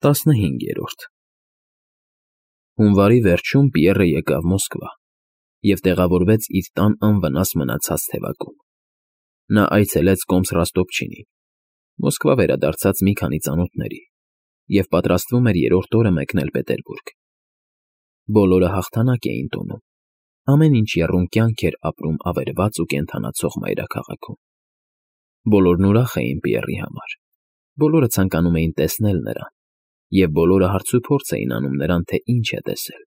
15-րդ Հունվարի վերջում Պիեռը եկավ Մոսկվա և տեղավորվեց իր տան անվնաս մնացած թևակում. նա այցելեց կոմս Ռոստովչինին, Մոսկվա վերադարձած մի քանի ծանոթների և պատրաստվում էր երրորդ օրը մեկնել Պետերբուրգ. բոլորը հաղթանակ էին տոնում, ամեն ինչ եռում կյանք էր ապրում ավերված ու կենդանացող մայրաքաղաքում. բոլորն ուրախ էին Պիեռի համար, բոլորը ցանկանում էին տեսնել նրան, և բոլորը հարցուփորձ էին անում նրան, թե ինչ է տեսել.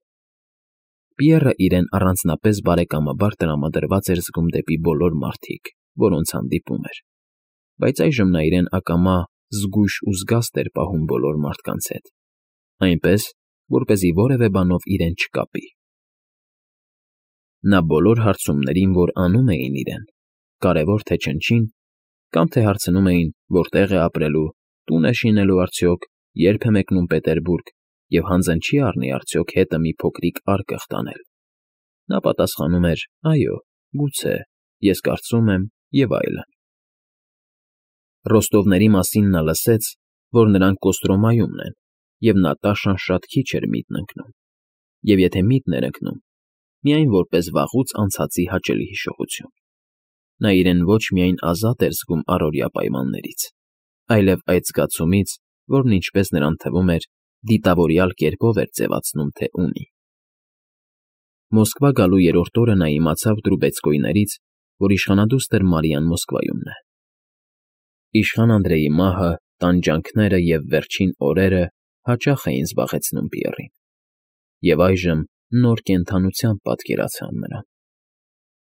Պիեռը իրեն առանձնապես բարեկամաբար տրամադրված էր զգում դեպի բոլոր մարդիկ, որոնց հանդիպում էր, բայց այժմ նա իրեն ակամա զգույշ ու զգաստ էր պահում բոլոր մարդկանց հետ, այնպես, որպեսզի որևէ բանով իրեն չկապի. նա բոլոր հարցումներին, որ անում էին իրեն, կարևոր թե չնչին, կամ թե հարցնում էին, որտեղ է ապրելու, տուն է շինելու արդյոք, երբ է մեկնում Պետերբուրգ և հանձն չի առնի արդյոք հետը մի փոքրիկ արկղ տանել, նա պատասխանում էր. այո, գուցե, ես կարծում եմ և այլն. Ռոստովների մասին նա լսեց, որ նրանք Կոստրոմայումն են, և նա տաշան շատ քիչ էր միտն ընկնում, և եթե միտն էր ընկնում, միայն որպես վաղուց անցածի հաճելի հիշողություն. նա իրեն ոչ միայն ազատ էր զգում առօրյա պայմաններից, այլև այդ զգացումից, որն ինչպես նրան թվում էր, դիտավորյալ կերպով էր ձևացնում, թե ունի. Մոսկվա գալու երրորդ օրը նա իմացավ Դրուբեցկոյներից, որ իշխանադուստր Մարիան Մոսկվայումն է. իշխան Անդրեի մահը, տանջանքները և վերջին օրերը հաճախ էին զբաղեցնում Պիեռին, և այժմ նոր կենդանությամբ պատկերացան նրան.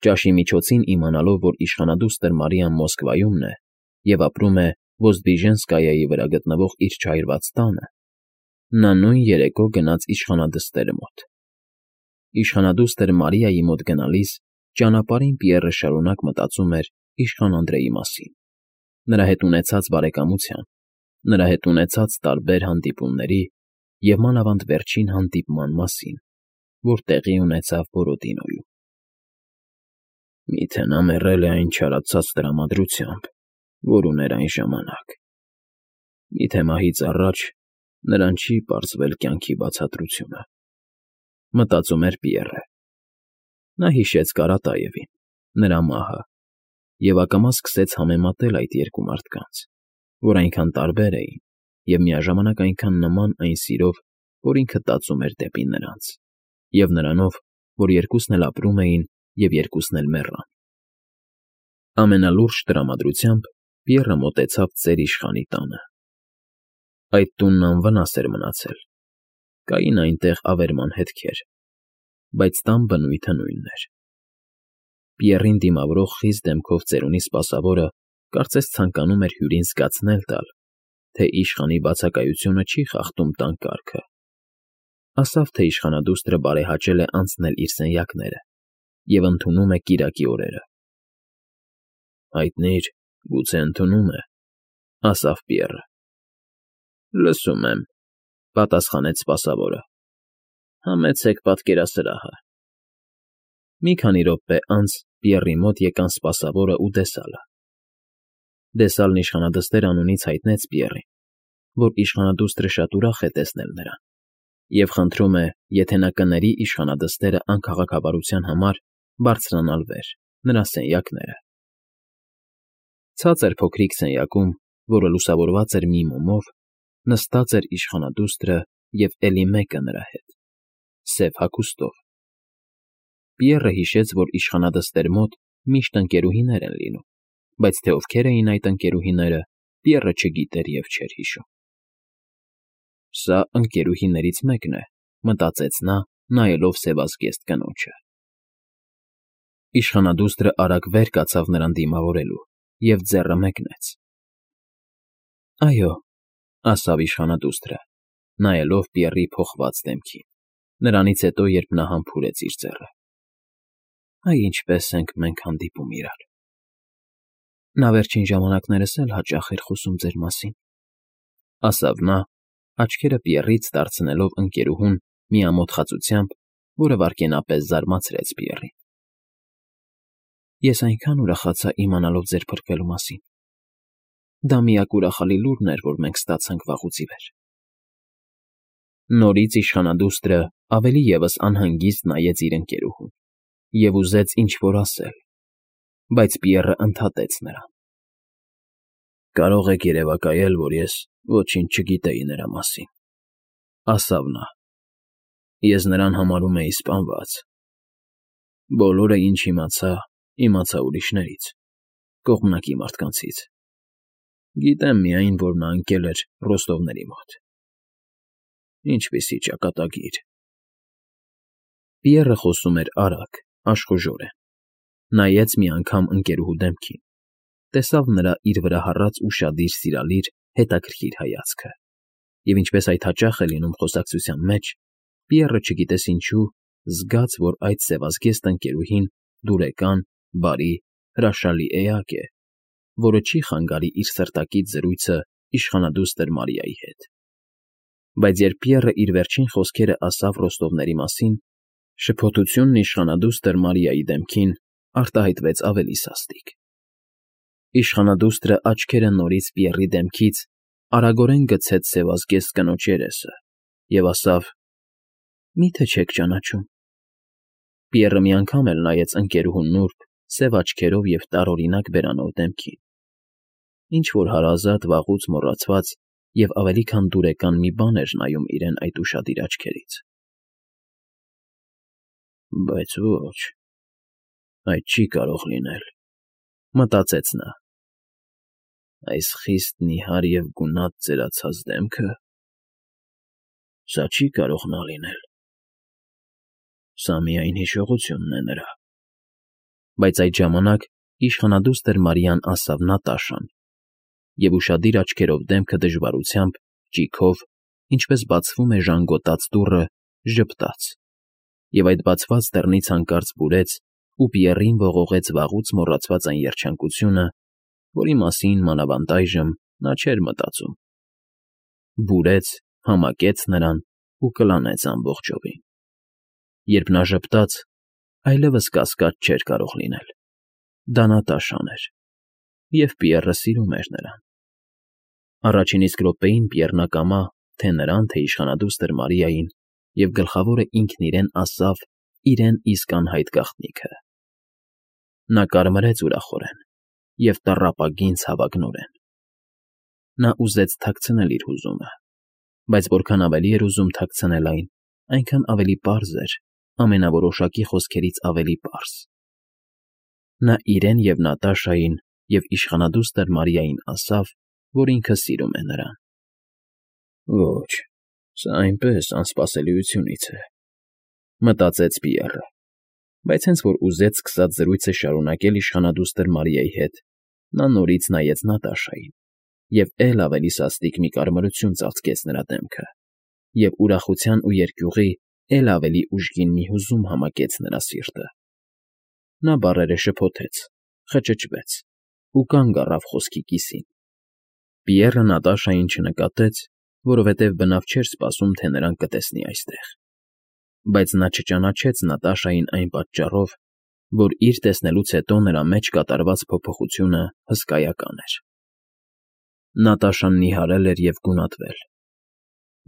ճաշի միջոցին իմանալով, որ իշխանադուստր Մարիան Մոսկվայումն է և ապրում է Ոզդվիժենսկայայի վրա գտնվող իր չայրված տանը, նա նույն երեկո գնաց իշխանադստեր մոտ. Իշխանադուստր Մարիայի մոտ գնալիս ճանապարհին Պիեռը շարունակ մտածում էր իշխան Անդրեի մասին, նրա հետ ունեցած բարեկամության, նրա հետ ունեցած տարբեր հանդիպումների և մանավանդ վերջին հանդիպման մասին, որ տեղի ունեցավ Բորոդինոյում. Միթե նա մեռել է այն չարացած տրամադրությամբ, որ ուներ այն ժամանակ, միթե մահից առաջ նրան չի պարզվել կյանքի բացատրությունը, մտածում էր Պիեռը. նա հիշեց Կարատաևին, նրա մահը, և ակամա սկսեց համեմատել այդ երկու մարդկանց, որ այնքան տարբեր էին և միաժամանակ այնքան նման այն սիրով, որ ինքը տածում էր դեպի նրանց, և նրանով, որ երկուսն էլ ապրում էին և երկուսն էլ մեռան. ամենալուրջ տրամադրությամբ Պիեռը մոտեցավ ծեր իշխանի տանը. այդ տունն անվնաս էր մնացել, կային այնտեղ ավերման հետքեր, բայց տան բնույթը նույնն էր. Պիեռին դիմավորող խիստ դեմքով ծերունի սպասավորը կարծես ցանկանում էր հյուրին զգացնել տալ, թե իշխանի բացակայությունը չի խախտում տան կարգը, ասավ, թե իշխանադուստրը բարեհաճել է անցնել իր սենյակները և ընդունում է կիրակի օրերը. հայտնի՞ր, գուցե ընդունում է, ասավ Պիեռը. լսում եմ, պատասխանեց սպասավորը, համեցեք պատկերասրահը. մի քանի րոպե անց Պիեռի մոտ եկան սպասավորն ու դեսալը. դեսալն իշխանադստեր անունից հայտնեց Պիեռին, որ իշխանադուստրը շատ ուրախ է տեսնել նրան և խնդրում է, եթե նա կների իշխանադստերը անքաղաքավարության համար բարձրանալ վեր, նրա սենյակները. ցածր փոքրիկ սենյակում, որը լուսավորված էր մի մոմով, նստած էր իշխանադուստրը և էլի մեկը նրա հետ, սև հագուստով. Պիեռը հիշեց, որ իշխանադստեր մոտ միշտ ընկերուհիներ են լինում, բայց թե ովքեր էին այդ ընկերուհիները, Պիեռը չգիտեր և չէր հիշում. Սա ընկերուհիներից մեկն է, մտածեց նա, նայելով սևազգեստ կնոջը. Իշխանադուստրը արագ վեր կացավ նրան դիմավորելու և ձեռը մեկնեց. այո, ասավ իշխանադուստրը, նայելով Պիեռի փոխված դեմքին, նրանից հետո, երբ նա համբուրեց իր ձեռը. այ ինչպես ենք մենք հանդիպում իրար. նա վերջին ժամանակներս էլ հաճախ էր խոսում ձեր մասին, ասավ նա, աչքերը Պիեռից դարձնելով ընկերուհուն մի ամոթխածությամբ, որը վայրկենապես զարմացրեց Պիեռին. ես այնքան ուրախացա իմանալով ձեր փրկվելու մասին, դա միակ ուրախալի լուրն էր, որ մենք ստացանք վաղուց ի վեր, Նորից իշխանադուստրը ավելի ևս անհանգիստ նայեց իր ընկերուհուն և ուզեց ինչ֊որ ասել, բայց Պիեռը ընդհատեց նրան։ «Կարող եք երևակայել, որ ես ոչինչ չգիտեի նրա մասին,֊ ասավ նա։ Ես նրան համարում էի սպանված։ Բոլորը, ինչ իմացա ուրիշներից, կողմնակի մարդկանցից։ Գիտեմ միայն, որ նա ընկել էր Ռոստովների մոտ։ Ինչպիսի ճակատագիր»։ Պիեռը խոսում էր արագ, աշխուժորեն։ Նայեց մի անգամ ընկերուհու դեմքին, տեսավ նրա իր վրա հառած ուշադիր, սիրալիր, հետաքրքիր հայացքը, և ինչպես այդ հաճախ է լինում խոսակցության մեջ, Պիեռը չգիտես ինչու զգաց, որ այդ սևազգեստ ընկերուհին դուրեկան, բարի, հրաշալի էակ է, որը չի խանգարի իր սրտակից զրույցը իշխանադուստր Մարիայի հետ։ Բայց երբ Պիեռը իր վերջին խոսքերը ասավ Ռոստովների մասին, շփոթությունն իշխանադուստր Մարիայի դեմքին արտահայտվեց ավելի սաստիկ։ Իշխանադուստրը աչքերը նորից Պիեռի դեմքից արագորեն գցեց սևազգեստ կնոջ երեսը և ասավ. «Մի՞թե չեք ճանաչում»։ Պիեռը մի անգամ էլ նայեց ընկերուհուն նուրբ, սև աչքերով և տարօրինակ բերանով դեմքին։ Ինչ֊որ հարազատ, վաղուց մոռացված և ավելի քան դուրեկան մի բան էր նայում իրեն այդ ուշադիր աչքերից։ «Բայց ոչ, այդ չի կարող լինել,֊ մտածեց նա։ Այս խիստ նիհար և գունատ ծերացած դեմքը… Սա չի կարող նա լինել… Սա միայն հիշողությունն է նրա»։ Բայց այդ ժամանակ իշխանադուստր Մարիան ասավ Նատաշան, և ուշադիր աչքերով դեմքը դժվարությամբ, ճիգով, ինչպես բացվում է ժանգոտած դուռը, ժպտաց, և այդ բացված դռնից հանկարծ բուրեց ու Պիեռին ողողեց վաղուց մոռացված այն երջանկությունը, որի մասին մանավանդ այժմ նա չէր մտածում։ Բուրեց, համակեց նրան ու կլանեց ամբողջովին։ Երբ նա ժպտաց, այլևս կասկած չէր կարող լինել. դա Նատաշան էր, և Պիեռը սիրում էր նրան։ Առաջին իսկ րոպեին Պիեռն ակամա թե նրան, թե իշխանադուստր Մարիային, և գլխավորը ինքն իրեն ասավ իրեն իսկ անհայտ գաղտնիքը։ Նա կարմրեց ուրախորեն և տառապագին ցավագնորեն։ Նա ուզեց թաքցնել իր հուզումը, բայց որքան ավելի էր ուզում թաքցնել այն, այնքան ավելի պարզ էր, ամենավորոշակի խոսքերից ավելի պարզ։ Նա իրեն և Նատաշային և իշխանադուստր Մարիային ասավ, որ ինքը սիրում է նրան։ «Ոչ, սա այնպես անսպասելիությունից է,֊ մտածեց Պիեռը, բայց հենց որ ուզեց սկսած զրույցը շարունակել իշխանադուստր Մարիայի հետ, նա նորից նայեց Նատաշային, և էլ ավելի սաստիկ մի կարմրություն ծածկեց նրա դեմքը, և ուրախության ու երկյուղի էլ ավելի ուժգին մի հուզում համակեց նրա սիրտը։ Նա բառերը շփոթեց, խճճվեց ու կանգ առավ խոսքի կիսին։ Պիեռը Նատաշային չնկատեց, որովհետև բնավ չէր սպասում, թե նրան կտեսնի այստեղ։ Բայց նա չճանաչեց Նատաշային այն պատճառով, որ իր տեսնելուց հետո նրա մեջ կատարված փոփոխությունը հսկայական էր։ Նատաշան նիհարել էր և գունատվել,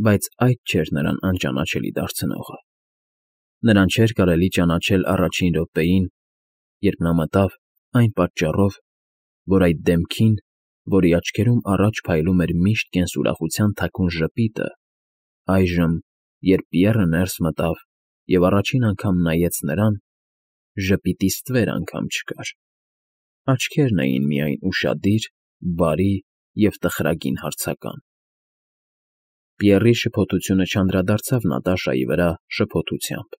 բայց այդ չէր նրան անճանաչելի դարձնողը։ Նրան չէր կարելի ճանաչել առաջին րոպեին, երբ նա մտավ, այն պատճառով, որ այդ դեմքին, որի աչքերում առաջ փայլում էր միշտ կենսուրախության թաքուն ժպիտը, այժմ, երբ Պիեռը ներս մտավ և առաջին անգամ նայեց նրան, ժպիտի ստվեր անգամ չկար։ Աչքերն էին միայն ուշադիր, բարի և տխրագին հարցական։ Պիեռի շփոթությունը չանդրադարձավ Նատաշայի վրա շփոթությամբ,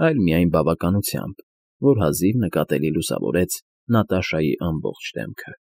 այլ միայն բավականությամբ, որ հազիվ նկատելի լուսավորեց Նատաշայի ամբողջ դեմքը։